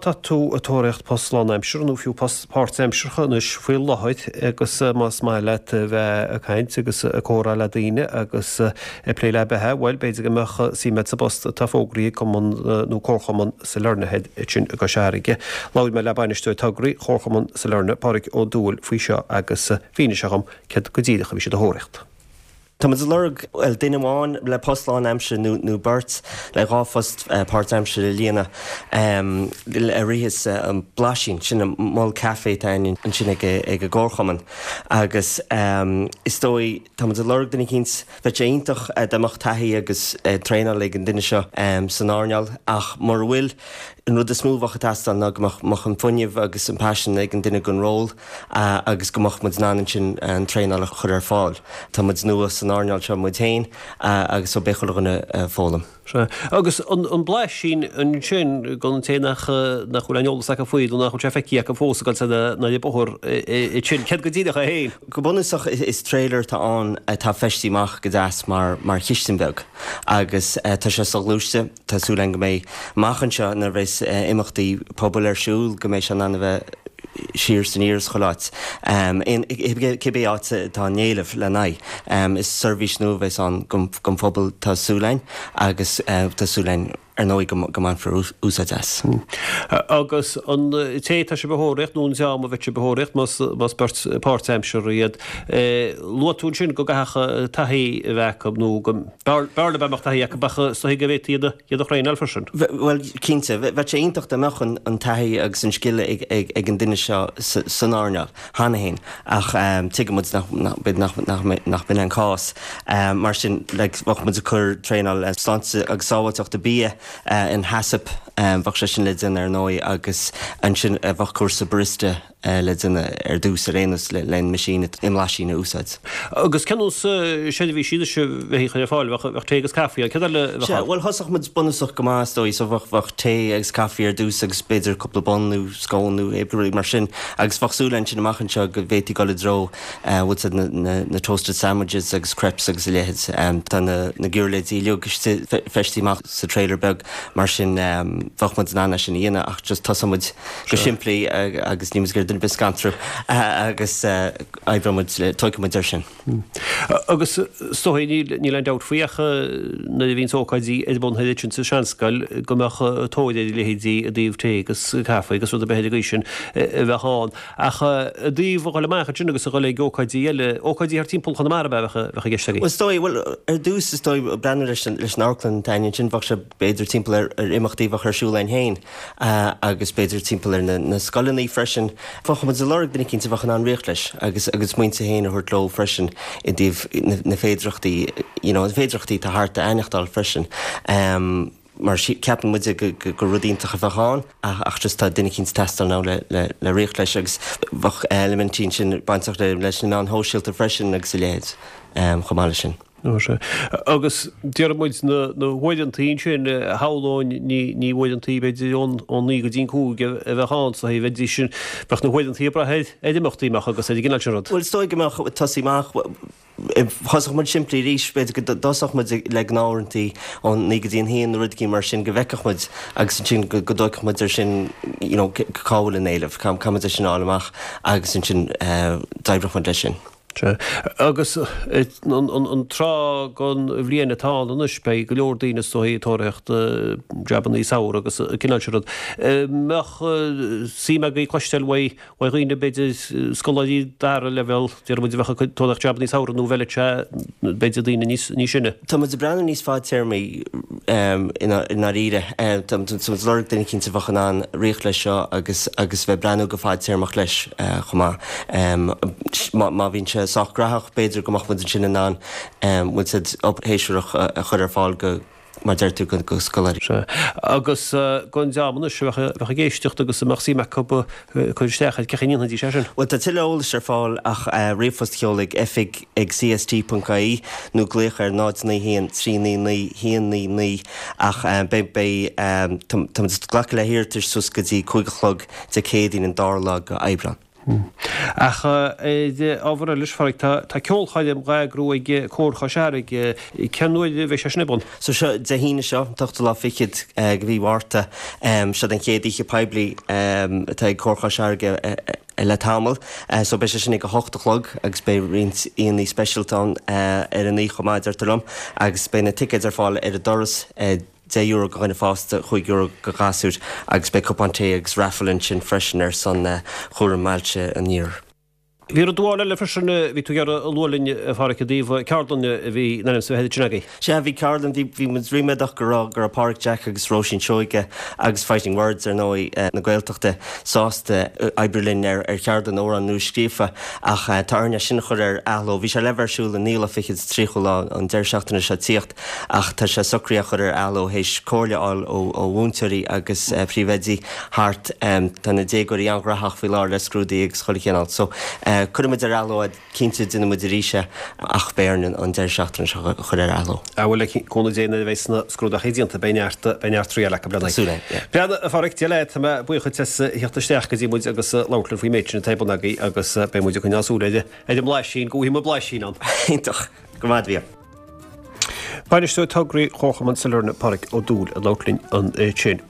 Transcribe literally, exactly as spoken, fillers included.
tá tú ag tóraíocht post lánaimseartha nó fiú post páirtaimseartha anois faoi láthair agus más maith leat bheith ag caint agus ag comhrá le daoine agus ag plé le beatha, bhuel b'fhéidir go mbeadh suim agat sa bpost atá fógraithe ag Cumann nó Comharchumann Sailearna ansin i gCois Fharraige. Labhair mé le bainisteoir tograí Chomharchumann Sailearna, Pádraig Ó Dúill faoi seo agus mhínigh sé dhom céard go díreach a bhí siad a thóraíocht. Tá muid ag lorg well, duine amháin le post lánaimseartha nó, nó beirt le dhá phost uh, páirtaimseartha le líonadh um, a ritheas uh, an Blaisín sin an mol caife atá ansin ag ag an gcomharchumann agus um, is dóigh tá muid ag lorg duine eicínt bheadh sé iontach uh, dá mbeadh taithí agus uh, traenáil ag an duine seo um, san earnáil ach mura bhfuil an rud is mó a bheadh ag teastáil ná go mbeadh an fuinneamh agus an paisean ag an duine don ról uh, agus go mbeadh muid in ann sin an traenáil a chur ar fáil. Tá muid nua san earnáil seo muid féin uh, agus so beidh chuile uh, foghlaim. Sea. Agus an, an Blaisín ansin don té nach nach bhfuil an eolas acu faoi nó nach bhfuil sé feicthe acu fós go na na bóthar sin céard go díreach é féin. Go bunúsach is trailer atá ann atá feistithe amach go deas mar mar chistin bheag agus uh, tá sé soghluaiste tá súil againn go mbeidh amach anseo nuair a bheas uh, imeachtaí pobail ar siúl go mbeidh sé in ann a bheith siar san iris choláit. Um, cibé áit tá an éileamh le n-aghaidh. Um, is seirbhís nua a bheas ann don phobal tá súil againn agus uh, tá súil againn ar ndóigh go mbainfear úsáid as. Hmm. Agus an té tá sé a thóraíocht nó an dream a bheidh a thóraíocht más beirt páirtaimseartha iad. Luaigh tú sin go gcaithfeadh taithí a bheith acu nó go b'fhearr dá mbeadh taithí acu ach so go bhféadfaí iad iad a thraenáil freisin. Well cinnte, bheadh sé iontach dá mbeadh an taithí agus an scil ag, ag, ag an duine seo san earnáil cheana féin ach um, tuigimid nach, nach, nach b'in an cás. Um, mar sin like, bheadh muid ag cur traenáil sláinte agus sábháilteachta bia uh, in HACCP um, bheadh sé sin le déanamh ar ndóigh agus ansin uh, bheadh cúrsa barista uh, le déanamh ar dtús ar aon nós le le machine i mBlaisín a úsáid. Agus cén seirbhísí a bheidh ar fáil bheadh tae agus caife cad le Well thosódh muid bunúsach go maith dóigh so bheadh bheadh tae agus caife ar dtús agus b'fhéidir cúpla bun nó scone nó éabrí mar sin agus bheadh súil sin amach anseo go bhféadfaí dul i dtreo uh, na, na, na toasted sandwiches agus crepes agus a leithéid um, tá na, na giuirléidí feistithe amach sa trailer beag mar sin um, bheadh muid in ann sin a dhéanamh ach just tosóidh muid go simplí uh, agus ní gur duine biscantrú uh, agus uh, oibreoidh muid tógfaidh muid ar sin. Hmm. Agus stoí níl an dabht faoi ach nuair a bhíonn ócáidí ar bun sin sa seanscoil go mbeadh tóir ar leithéidí i dtaobh tae agus caife agus rud a bheith sin a bheith ann. Ach i dtaobh dul amach sin agus a dhul ag ócáidí eile ócáidí thar timpeall Chonamara bheadh i gceist. Well stoi well ar dtús is dóigh breathnú leis leis an amharclann tain sin bheadh sé b'fhéidir timpeall ar ar imeachtaí bheadh ar siúl againn féin uh, agus b'fhéidir timpeall ar na, na scoileanna freisin. Bheadh muid ag lorg duine eicínt a bheadh in ann rith leis agus agus smaointe féin a thabhairt leo freisin i dtaobh na, na féidearthachtaí you know, na féidearthachtaí tá thart a aithneachtáil freisin. Um, mar ceapann muid go rud iontach a bheadh ann ach just tá duine eicínt ag teastáil ná le, le, le rith leis agus bheadh eilimintí sin bainteach le leis na meáin shóisialta freisin agus a leithéid um, chomh maith leis sin. Agus déarfaidh muid na huaireantaí sin shamhlóinn ní ní huaireantaí b'fhéidir ón ón naoi go dtí an cúig a bheith ann sa bheidís sin bheadh na huaireantaí ag brath ar imeachtaí amach agus ar an gcineál sin rud. Well is dóigh go mbeadh tosaí amach Thosódh muid simplí arís b'fhéidir go dtosódh muid le gnáthuaireantaí ón naoi go dtí an haon nó rud mar sin go bhfeicfeadh muid agus sin go dtógfadh muid ar sin you know, cá bhfuil an éileamh, cá muid sin fháil amach agus sin uh, d'oibreodh muid leis sin. Agus an tráth den bhliain atá ann anois beidh go leor daoine is dóigh ag tóraíocht jabannaí samhraidh agus cineál sin rud. Mbeadh suim agaibh cloisteáil uaidh uaidh dhaoine b'fhéidir scoláirí dara leibhéal déarfaidh muid a bheadh ag tóraíocht jabannaí samhraidh nó bheadh sé b'fhéidir daoine níos níos sine. Tá muid ag breathnú níos fadtéarmaí um, i ndáiríre Tá muid lorg duine eicínt a bheadh in ann rith leis seo agus agus bheith breathnú go fadtéarmach leis uh, chomh maith. Um, má, má bhíonn sé sách gnóthach b'fhéidir go mbeadh muid sin in ann um, bhfuil obair shamhraidh a chur ar fáil go mar deir tú go go scoláirí. Agus don dream anois a bheadh ag éisteacht agus a mbeadh suim acu cur isteach cén chaoi a ndéanfaidís é sin. Well tá tuilleadh eolais ar fáil ach uh, ríomhphost a sheoladh ag oifig ag cst.ie nó glaoch ar náid naoi haon trí naoi naoi haon naoi naoi ach um, beidh beidh um, tá glacadh le hiarratais suas go dtí cúig a chlog Dé Céadaoin an dara lá d'Aibreán. Ach ábhar eile, a Pháraic, tá ceolchoirm á eagrú ag Comhar Chois Fharraige, cén uair a bheidh sé sin ar bun? So seo Dé hAoine seo, an t-ochtú lá fichead de mhí Mhárta, seo an chéad oíche poiblí atá ag Comhar Chois Fharraige le tamall. So beidh sé sin ag a hocht a chlog agus beidh roinnt aíonna speisialta ann ar an oíche chomh maith, deirtear liom, agus beidh na ticéid ar fáil ar an doras. deich euro do dhuine fásta, chúig euro do ghasúir agus beidh cupán tae agus raffle ansin freisin ar son chúram ailse an Iarthair. Bhí rud amháin eile freisin a bhí tú ag iarraidh a lua linn, a Pháraic, i dtaobh ceardlann a bhí in ainm is a bheith ansin agaibh. Sea, bhí ceardlann, bhí, bhí muid ríméadach go raibh, go raibh Páraic Jack agus Róisín Seoige agus Fighting Words, ar ndóigh, na Gaeltachta, sásta oibriú linn ar, ar cheardlann amhrán nua-scríofa ach tá orainn é sin a chur ar athló. Bhí sé le bheith ar siúl an naoú lá fichead is tríochú lá an deireadh seachtaine seo tíocht. Ach tá sé socraithe a chur ar athló théis comhairle a fháil ó mhúinteoirí agus príomhoidí thart. Tá na déagóirí an-ghnóthach faoi láthair le scrúduithe agus chuile chineál. So, cuirfidh muid ar athló é, cinnte déanfaidh muid arís é ach beidh orainn an deireadh seachtaine seo a chur ar athló. Ah bhuel, le cúnamh Dé nuair a bheidh na scrúduithe déanta beidh neart, beidh neart triail acu le Súil é, yeah. Breathnaigh, a Pháraic, Dia leat, tá mé buíoch duit as theacht isteach go dtí muid agus labhairt linn faoin méid sin atá ar bun agaibh agus beidh muid ag coinneáil súil ar an mBlaisín, go bhfaighidh muid blaisín ann. Iontach. Go raibh maith agat. Bainisteoir Tograí Chomharchumann Sailearna, Páraic Ó Dúill ag labhairt linn ansin.